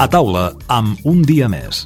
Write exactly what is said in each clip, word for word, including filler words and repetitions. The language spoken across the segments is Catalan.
A taula, amb Un dia més.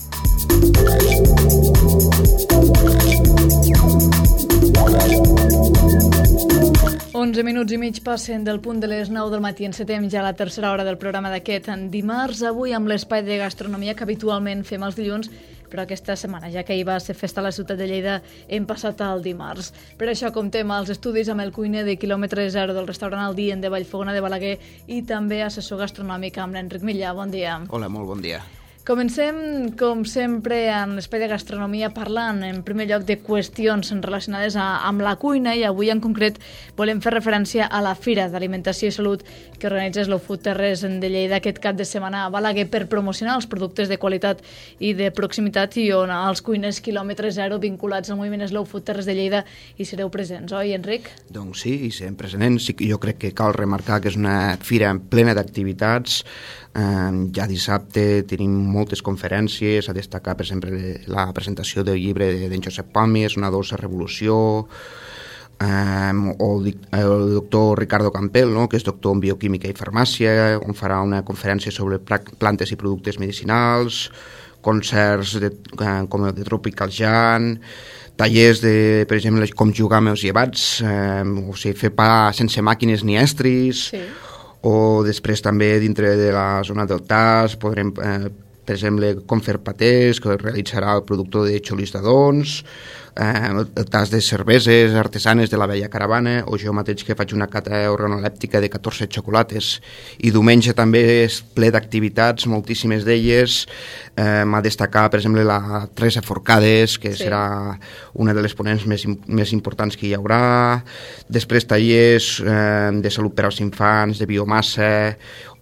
onze minuts i mig passen del punt de les nou del matí. Encetem ja la tercera hora del programa d'aquest dimarts, avui amb l'espai de gastronomia que habitualment fem els dilluns, però aquesta setmana, ja que hi va ser festa a la ciutat de Lleida, hem passat al dimarts. Per això comptem als estudis amb el cuiner de quilòmetre zero del restaurant El Dient de Vallfogona de Balaguer i també assessor gastronòmic amb l'Enric Millà. Bon dia. Hola, molt bon dia. Comencem, com sempre, en l'espai de gastronomia parlant, en primer lloc, de qüestions relacionades a, amb la cuina, i avui en concret volem fer referència a la Fira d'Alimentació i Salut que organitza Slow Food Terres de Lleida aquest cap de setmana a Balaguer per promocionar els productes de qualitat i de proximitat, i on els cuiners quilòmetre zero vinculats al moviment Slow Food Terres de Lleida hi sereu presents, oi, Enric? Doncs sí, hi serem presents. Sí, jo crec que cal remarcar que és una fira plena d'activitats. Uh, ja dissabte tenim moltes conferències, a destacar per exemple la presentació del llibre d'en Josep Pàmies, Una dolça revolució, um, o el, el doctor Ricardo Campbell, no?, que és doctor en bioquímica i farmàcia, on farà una conferència sobre plantes i productes medicinals, concerts de, uh, com el de Tropical Jan, tallers de, per exemple, com jugar amb els llevats, um, o sigui, fer pa sense màquines ni estris. Sí. O després també dintre de la zona del T A S podrem, eh, per exemple, com fer patés, que realitzarà el productor de Xolis d'Adons, eh, el tas de cerveses artesanes de la Vella Caravana, o jo mateix que faig una cata organolèptica de catorze xocolates. I diumenge també és ple d'activitats, moltíssimes d'elles. Eh, m'ha destacar, per exemple, la Teresa Forcades, que sí. serà una de les ponents més, més importants que hi haurà. Després tallers eh, de salut per als infants, de biomassa,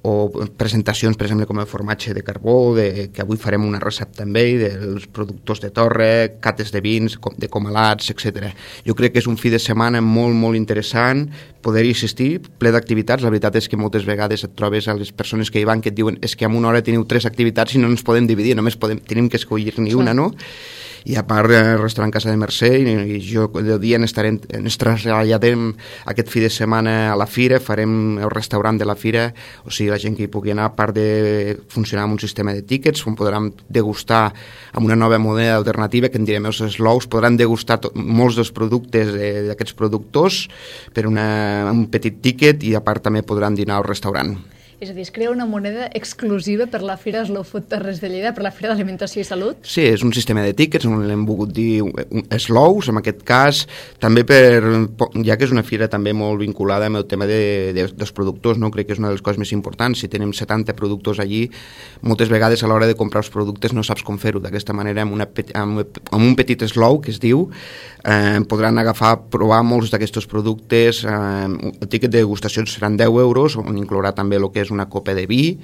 o presentacions, per exemple, com el formatge de carbó, de, que avui farem una recepta amb ell, dels productors de torre, cates de vins, de comalats, etcètera. Jo crec que és un fi de setmana molt, molt interessant poder-hi assistir, ple d'activitats. La veritat és que moltes vegades et trobes a les persones que hi van que et diuen és que en una hora teniu tres activitats i no ens podem dividir, només podem, tenim que escollir ni una, no? I a part el restaurant Casa de Mercè, i jo el dia estarem, ens traslladem aquest fi de setmana a la fira, farem el restaurant de la fira, o sigui, la gent que hi pugui anar, a part de funcionar amb un sistema de tíquets, on podran degustar amb una nova moneda alternativa, que en direm els slows, podran degustar tot, molts dels productes d'aquests productors per una, un petit tíquet, i a part també podran dinar al restaurant. És a dir, es crea una moneda exclusiva per la Fira Slow Food Terres de Lleida, per la Fira d'Alimentació i Salut? Sí, és un sistema de tíquets, on l'hem volgut dir slows, en aquest cas, també per, ja que és una fira també molt vinculada amb el tema de, de, dels productors, no? Crec que és una de les coses més importants. Si tenim setanta productors allí, moltes vegades a l'hora de comprar els productes no saps com fer-ho. D'aquesta manera, amb, una, amb, amb un petit slow, que es diu, eh, podran agafar, provar molts d'aquests productes. Eh, el tíquet de degustació seran deu euros, on inclourà també el que és una copa de vi,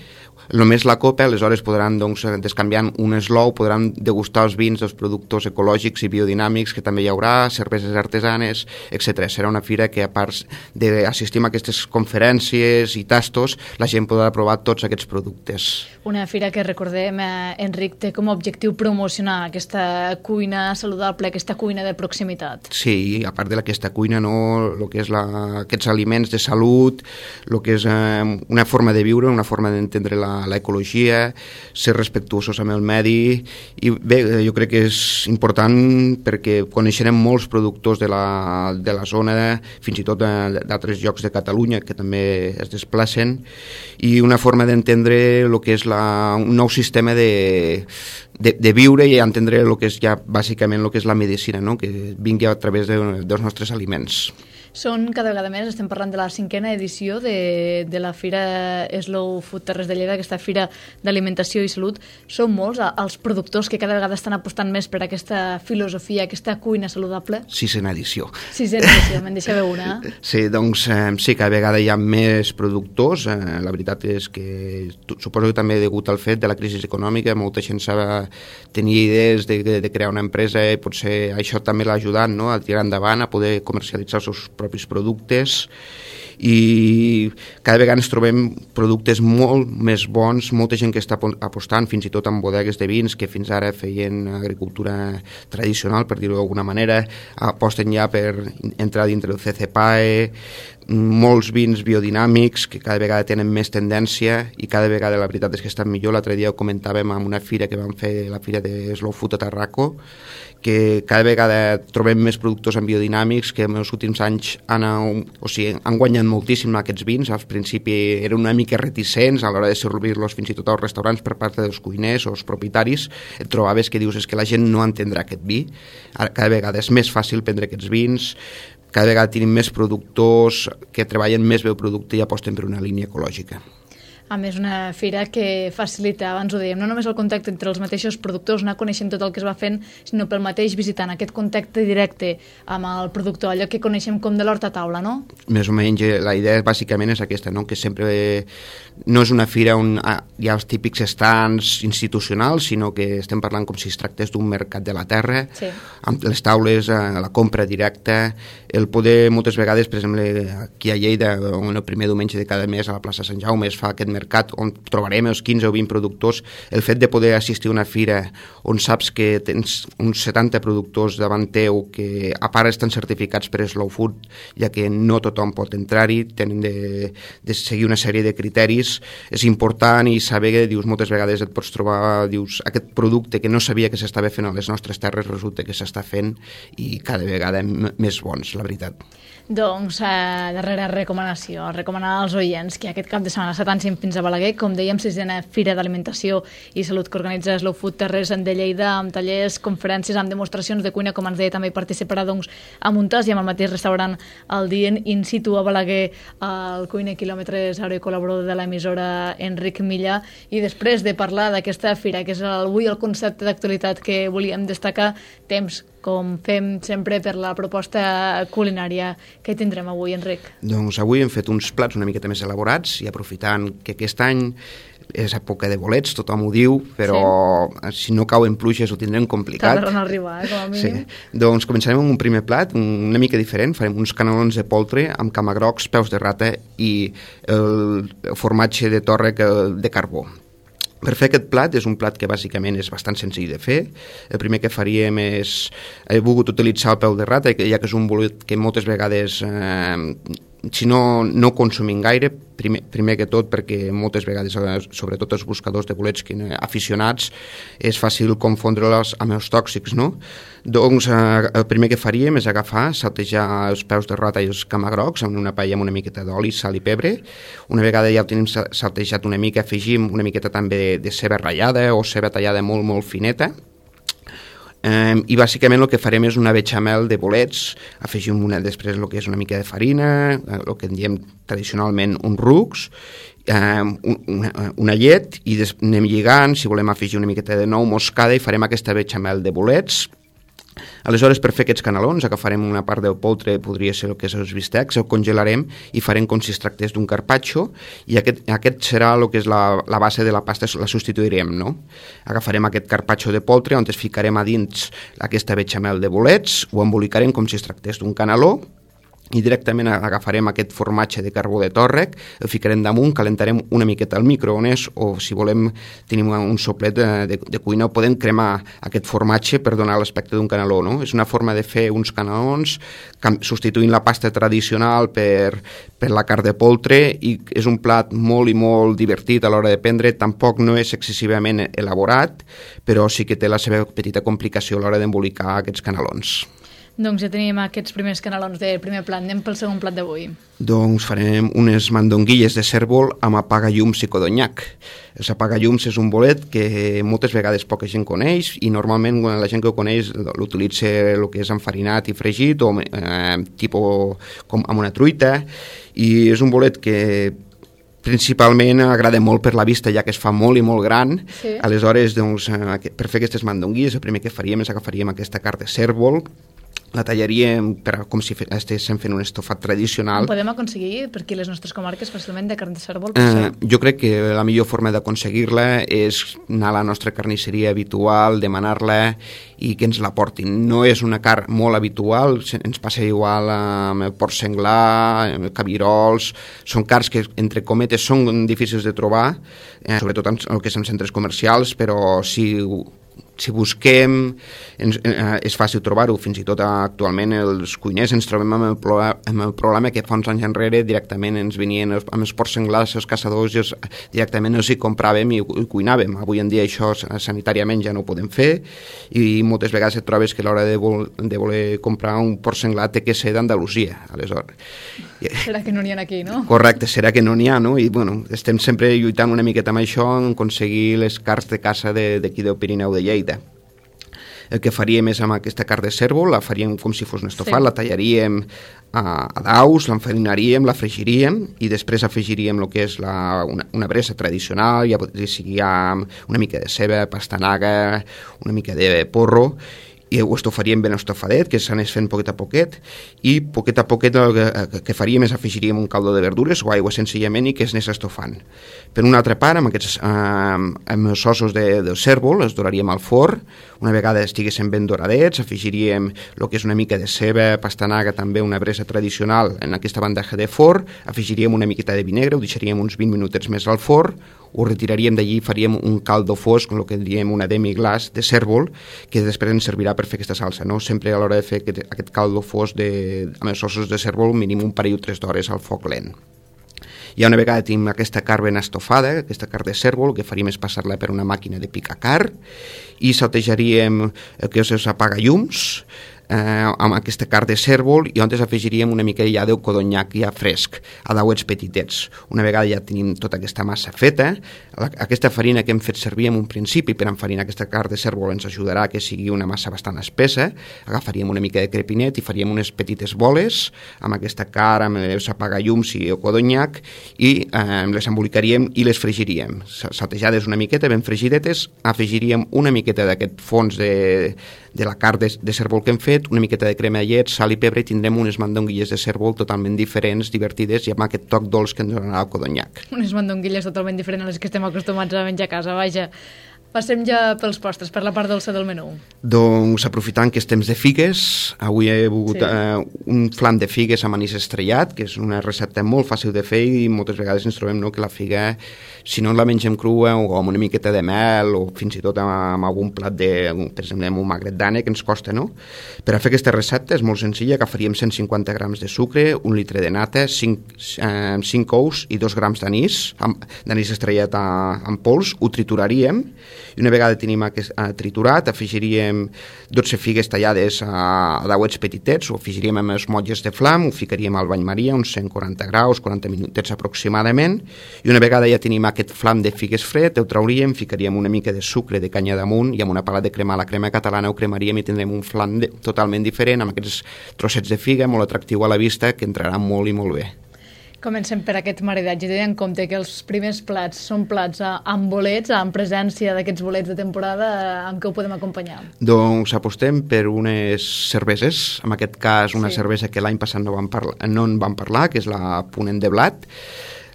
només la copa, aleshores podran, doncs, descanviant un slow, podran degustar els vins dels productors ecològics i biodinàmics que també hi haurà, cerveses artesanes, etcètera. Serà una fira que, a part d'assistir a aquestes conferències i tastos, la gent podrà provar tots aquests productes. Una fira que, recordem, eh, Enric, té com a objectiu promocionar aquesta cuina saludable, aquesta cuina de proximitat. Sí, i a part d'aquesta cuina, no, el que és la, aquests aliments de salut, el que és eh, una forma de viure, una forma d'entendre l'ecologia, ser respectuosos amb el medi, i bé, jo crec que és important perquè coneixerem molts productors de la, de la zona, fins i tot d'altres llocs de Catalunya que també es desplacen, i una forma d'entendre el que és la, un nou sistema de, de, de viure i entendre el que és ja bàsicament el que és la medicina, no? Que vingui a través de, dels nostres aliments. Són cada vegada més, estem parlant de la cinquena edició de, de la Fira Slow Food Terres de Lleida, aquesta Fira d'Alimentació i Salut. Són molts els productors que cada vegada estan apostant més per aquesta filosofia, aquesta cuina saludable? Sisena edició. Sisena edició, me'n deixava una. Sí, doncs eh, sí, cada vegada hi ha més productors. Eh, la veritat és que suposo que també degut al fet de la crisi econòmica, molta gent s'ha tenir idees de, de, de crear una empresa, i potser això també l'ha ajudat, no?, a tirar endavant, a poder comercialitzar els seus propis productes, i cada vegada ens trobem productes molt més bons, molta gent que està apostant fins i tot en bodegues de vins que fins ara feien agricultura tradicional, per dir-ho d'alguna manera, aposten ja per entrar dintre del C C P A E, molts vins biodinàmics que cada vegada tenen més tendència i cada vegada la veritat és que estan millor. L'altre dia ho comentàvem en una fira que vam fer, la fira de Slow Food a Tarraco, que cada vegada trobem més productors en biodinàmics que en els últims anys han, o sigui, han guanyat moltíssim aquests vins. Al principi eren una mica reticents a l'hora de servir-los fins i tot als restaurants per part dels cuiners o els propietaris. Et trobaves que dius és que la gent no entendrà aquest vi. Ara cada vegada és més fàcil prendre aquests vins, cada vegada tenim més productors que treballen més bé el producte i aposten per una línia ecològica. A més, una fira que facilita, abans ho dèiem, no només el contacte entre els mateixos productors, anar coneixent tot el que es va fent, sinó pel mateix visitant, aquest contacte directe amb el productor, allò que coneixem com de l'hort a taula, no? Més o menys, la idea bàsicament és aquesta, no? Que sempre no és una fira on hi ha els típics stands institucionals, sinó que estem parlant com si es tractés d'un mercat de la terra, sí. Amb les taules, la compra directa, el poder, moltes vegades, per exemple, aquí a Lleida, on el primer diumenge de cada mes a la plaça Sant Jaume es fa aquest mercat on trobarem els quinze o vint productors, el fet de poder assistir a una fira on saps que tens uns setanta productors davant teu que a part estan certificats per Slow Food, ja que no tothom pot entrar-hi, tenen de, de seguir una sèrie de criteris, és important i saber que dius, moltes vegades et pots trobar dius, aquest producte que no sabia que s'estava fent a les nostres terres resulta que s'està fent i cada vegada més bons, la veritat. Doncs, eh, darrera recomanació, recomanar als oients que aquest cap de setmana s'atancin fins a Balaguer, com dèiem, sisena Fira d'Alimentació i Salut que organitza Slow Food Terres de Lleida, amb tallers, conferències, amb demostracions de cuina, com ens deia, també hi participarà doncs, a Montàs i amb el mateix restaurant el dient in situ a Balaguer, el cuiner quilòmetre zero i col·laborador de l'emissora Enric Milla. I després de parlar d'aquesta fira, que és avui el concepte d'actualitat que volíem destacar, temps com fem sempre per la proposta culinària que tindrem avui, Enric. Doncs avui hem fet uns plats una miqueta més elaborats i aprofitant que aquest any és època de bolets, tothom ho diu, però sí. Si no cauen pluges ho tindrem complicat. Tardaran a arribar, eh, com a mínim. Sí. Doncs començarem amb un primer plat, una mica diferent, farem uns canelons de poltre amb camagrocs, peus de rata i el formatge de tòrrec de carbó. Per fer aquest plat, és un plat que bàsicament és bastant senzill de fer. El primer que faríem és... He volgut utilitzar el peu de rata, ja que és un bolet que moltes vegades, eh, si no, no consumim gaire, primer, primer que tot perquè moltes vegades, sobretot els buscadors de bolets aficionats, és fàcil confondre-les amb els tòxics, no? Doncs eh, el primer que faríem és agafar, saltejar els peus de rata i els camagrocs en una paella amb una miqueta d'oli, sal i pebre. Una vegada ja el tenim saltejat una mica, afegim una miqueta també de, de ceba ratllada o ceba tallada molt, molt fineta. Um, i bàsicament el que farem és una bechamel de bolets, afegim una, després el que és una mica de farina, el que en diem tradicionalment un rucs, um, una, una llet, i des, anem lligant, si volem afegir una miqueta de nou moscada, i farem aquesta bechamel de bolets. Aleshores, per fer aquests canelons, agafarem una part del poltre, podria ser el que és els bistecs, el congelarem i farem com si es tractés d'un carpaccio, i aquest, aquest serà el que és la, la base de la pasta, la substituirem, no? Agafarem aquest carpaccio de poltre, on es ficarem a dins aquesta bechamel de bolets, ho embolicarem com si es tractés d'un caneló, i directament agafarem aquest formatge de carbó de tòrrec, el ficarem damunt, calentarem una miqueta al microones o si volem tenim un soplet de, de, de cuina o podem cremar aquest formatge per donar l'aspecte d'un caneló, no? És una forma de fer uns canelons substituint la pasta tradicional per, per la carn de poltre, i és un plat molt i molt divertit a l'hora de prendre, tampoc no és excessivament elaborat, però sí que té la seva petita complicació a l'hora d'embolicar aquests canelons. Doncs ja tenim aquests primers canelons del primer plat. Anem pel segon plat d'avui. Doncs farem unes mandonguilles de cèrvol amb apagallums i codonyac. Els apagallums és un bolet que moltes vegades poca gent coneix, i normalment quan la gent que ho coneix l'utilitza el que és enfarinat i fregit o eh, tipus com amb una truita, i és un bolet que principalment agrada molt per la vista, ja que es fa molt i molt gran. Sí. Aleshores, doncs, per fer aquestes mandonguilles, el primer que faríem és agafaríem aquesta carn de cèrvol, la tallaríem per, com si estéssim fent un estofat tradicional. Ho podem aconseguir per aquí les nostres comarques fàcilment de carn de cèrvol? Eh, jo crec que la millor forma d'aconseguir-la és anar a la nostra carnisseria habitual, demanar-la i que ens la portin. No és una carn molt habitual, ens passa igual amb el porc senglar, amb el cabirols, són carns que, entre cometes, són difícils de trobar, eh, sobretot en el que són centres comercials, però si si busquem, ens, eh, és fàcil trobar-ho, fins i tot actualment els cuiners ens trobem amb el, pro, amb el problema que fa uns anys enrere directament ens venien els, amb els porcs senglars, els caçadors, i els, directament els hi compràvem i, i cuinàvem. Avui en dia això sanitàriament ja no ho podem fer i moltes vegades et trobes que a l'hora de, vol, de voler comprar un porc senglar té que ser d'Andalusia, aleshores. Serà que no n'hi ha aquí, no? Correcte, serà que no n'hi ha, no? I bueno, estem sempre lluitant una miqueta amb això, en aconseguir les carns de caça d'aquí del Pirineu de Lleida. El que faríem és amb aquesta carn de cérvol, la faríem com si fos un estofat, sí. La tallaríem a, a daus, l'enfarinaríem, la fregiríem i després afegiríem el que és la, una, una bressa tradicional, ja podria sigui amb una mica de ceba, pastanaga, una mica de porro, i ho estofaríem ben estofadet, que s'anés fent poquet a poquet, i poquet a poquet el que, que faríem és afegiríem un caldo de verdures o aigua senzillament i que es anés estofant. Per una altra part, amb aquests eh, amb els ossos de, del cérvol, els doraríem al forn, una vegada estiguessin ben doradets, afegiríem el que és una mica de ceba, pastanaga, també una bressa tradicional en aquesta bandeja de forn, afegiríem una miqueta de vinagre, ho deixaríem uns vint minutets més al forn, ho retiraríem d'allí i faríem un caldo fosc, el que diem una demi-glaç de cérvol, que després ens servirà per fer aquesta salsa, no? Sempre a l'hora de fer aquest, aquest caldo fosc de, amb els ossos de cérvol, mínim un parell o tres d'hores al foc lent. I una vegada tenim aquesta carn ben estofada, aquesta carn de cérvol, el que faríem és passar-la per una màquina de picar carn i saltejaríem el que és els apagallums, eh, amb aquesta carn de cérvol i on afegiríem una mica ja del codonyac ja fresc, a dauets petitets. Una vegada ja tenim tota aquesta massa feta, la, aquesta farina que hem fet servir en un principi per enfarinar aquesta carn de cérvol ens ajudarà que sigui una massa bastant espessa, agafaríem una mica de crepinet i faríem unes petites boles amb aquesta carn, amb els apagallums i el codonyac i eh, les embolicaríem i les fregiríem. Saltejades una miqueta, ben fregidetes, afegiríem una miqueta d'aquest fons de, de la carn de, de cérvol que hem fet, una miqueta de crema de llet, sal i pebre i tindrem unes mandonguilles de cérvol totalment diferents, divertides i amb aquest toc dolç que ens donarà el codonyac. Unes mandonguilles totalment diferents a les que estem acostumats a menjar a casa, vaja. Passem ja pels postres, per la part dolça del menú. Doncs aprofitant que és temps de figues, avui he begut sí. eh, un flam de figues amb anís estrellat, que és una recepta molt fàcil de fer i moltes vegades ens trobem no, que la figa, si no la mengem crua o amb una miqueta de mel o fins i tot amb, amb algun plat de, per exemple, amb un magret d'ànec, que ens costa, no? Per a fer aquesta recepta és molt senzilla, agafaríem cent cinquanta grams de sucre, un litre de nata, cinc, eh, cinc ous i dos grams d'anís, d'anís estrellat a, en pols, ho trituraríem i una vegada tenim aquest uh, triturat afegiríem dotze figues tallades a, a dauets petitets, ho afegiríem amb els motlles de flam, ho ficaríem al bany maria uns cent quaranta graus, quaranta minutets aproximadament i una vegada ja tenim aquest flam de figues fred, ho trauríem, ficaríem una mica de sucre de canya damunt i amb una pala de cremar la crema catalana ho cremaríem i tindrem un flam de, totalment diferent amb aquests trossets de figa molt atractiu a la vista que entrarà molt i molt bé. Comencem per aquest maridatge, tenint en compte que els primers plats són plats amb bolets, amb presència d'aquests bolets de temporada, amb què ho podem acompanyar? Doncs apostem per unes cerveses, en aquest cas una sí. cervesa que l'any passat no, vam parlar, no en vam parlar, que és la Ponent de Blat.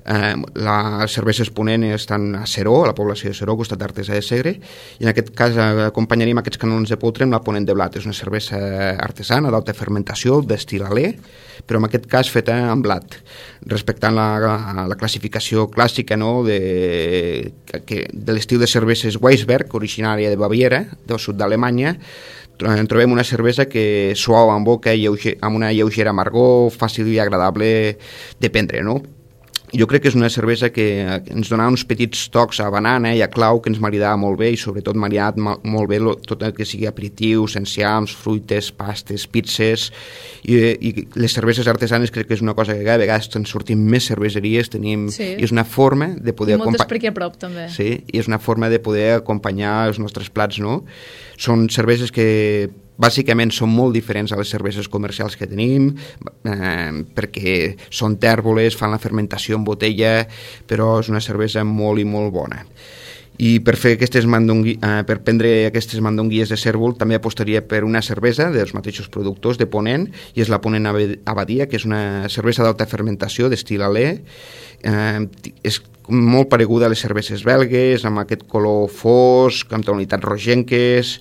Eh, les cerveses Ponent estan a Seró, a la població de Seró, costat d'Artesa de Segre, i en aquest cas acompanyaríem aquests canons de poltre amb la Ponent de Blat. És una cervesa artesana d'alta fermentació, d'estil alè, però en aquest cas feta amb blat, respectant la, la, la classificació clàssica no, de, que, de l'estil de cerveses Weissberg, originària de Baviera, del sud d'Alemanya. Trobem una cervesa que suau en boca, lleuger, amb una lleugera amargor, fàcil i agradable de prendre, no? Jo crec que és una cervesa que ens donava uns petits tocs a banana i a clau que ens maridava molt bé i sobretot maridat molt bé tot el que sigui aperitius, enciams, fruites, pastes, pizzas i, i les cerveses artesanes crec que és una cosa que cada vegada estan sortint més cerveseries, tenim, sí. i és una forma de poder acompanyar... Moltes per aquí a prop també. Sí, i és una forma de poder acompanyar els nostres plats, no? Són cerveses que bàsicament són molt diferents a les cerveses comercials que tenim eh, perquè són tèrboles, fan la fermentació en botella, però és una cervesa molt i molt bona. I per fer aquestes mandongui, eh, per prendre aquestes mandonguilles de cérvol també apostaria per una cervesa dels mateixos productors de Ponent, i és la Ponent Abadia, que és una cervesa d'alta fermentació d'estil alè, eh, és molt pareguda a les cerveses belgues, amb aquest color fosc, amb tonalitats rogenques,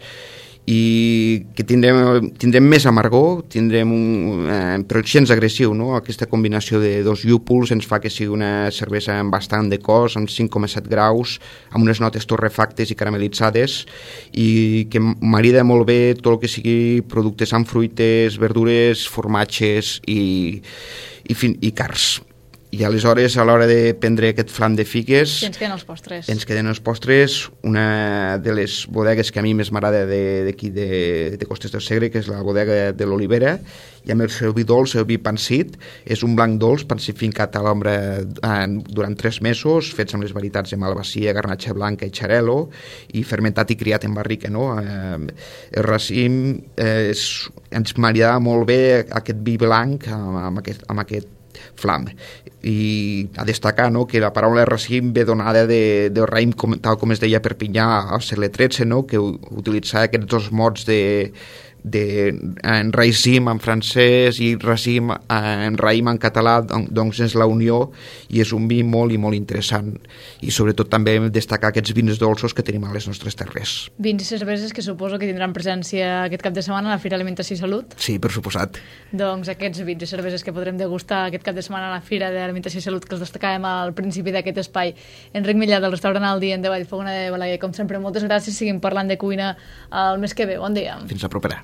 i que tindrem, tindrem més amargor, tindrem un, eh, però gens agressiu, no? Aquesta combinació de dos llúpols ens fa que sigui una cervesa amb bastant de cos, amb cinc coma set graus, amb unes notes torrefactes i caramelitzades, i que marida molt bé tot el que sigui productes amb fruites, verdures, formatges i, i, fin, i cars. I aleshores, a l'hora de prendre aquest flam de figues... I ens queden els postres. Ens queden els postres, una de les bodegues que a mi més m'agrada d'aquí de, de, de Costes del Segre, que és la bodega de l'Olivera, i amb el seu vi dolç, el vi pansit, és un blanc dolç pansifincat a l'ombra eh, durant tres mesos, fets amb les varietats de malvasia, garnatxa blanca i xarel·lo, i fermentat i criat en barrica, no? Eh, el racim eh, és, ens maridava molt bé aquest vi blanc amb, amb, aquest, amb aquest flam, i a destacar, no, que la paraula racim ve donada de, de raïm, com, tal com es deia a Perpinyà al segle tretze, no, que utilitzava aquests dos mots de de en raïm en francès i racim en raïm en català, doncs és la unió, i és un vi molt i molt interessant, i sobretot també destacar aquests vins dolços que tenim a les nostres terres. Vins i cerveses que suposo que tindran presència aquest cap de setmana a la Fira Alimentació i Salut. Sí, per suposat. Doncs aquests vins i cerveses que podrem degustar aquest cap de setmana a la Fira d'Alimentació i Salut, que els destacàvem al principi d'aquest espai. Enric Millà, del restaurant El Dia de Vallfogona de Balaguer, com sempre, moltes gràcies, seguim parlant de cuina el mes que ve. Bon dia. Fins la propera.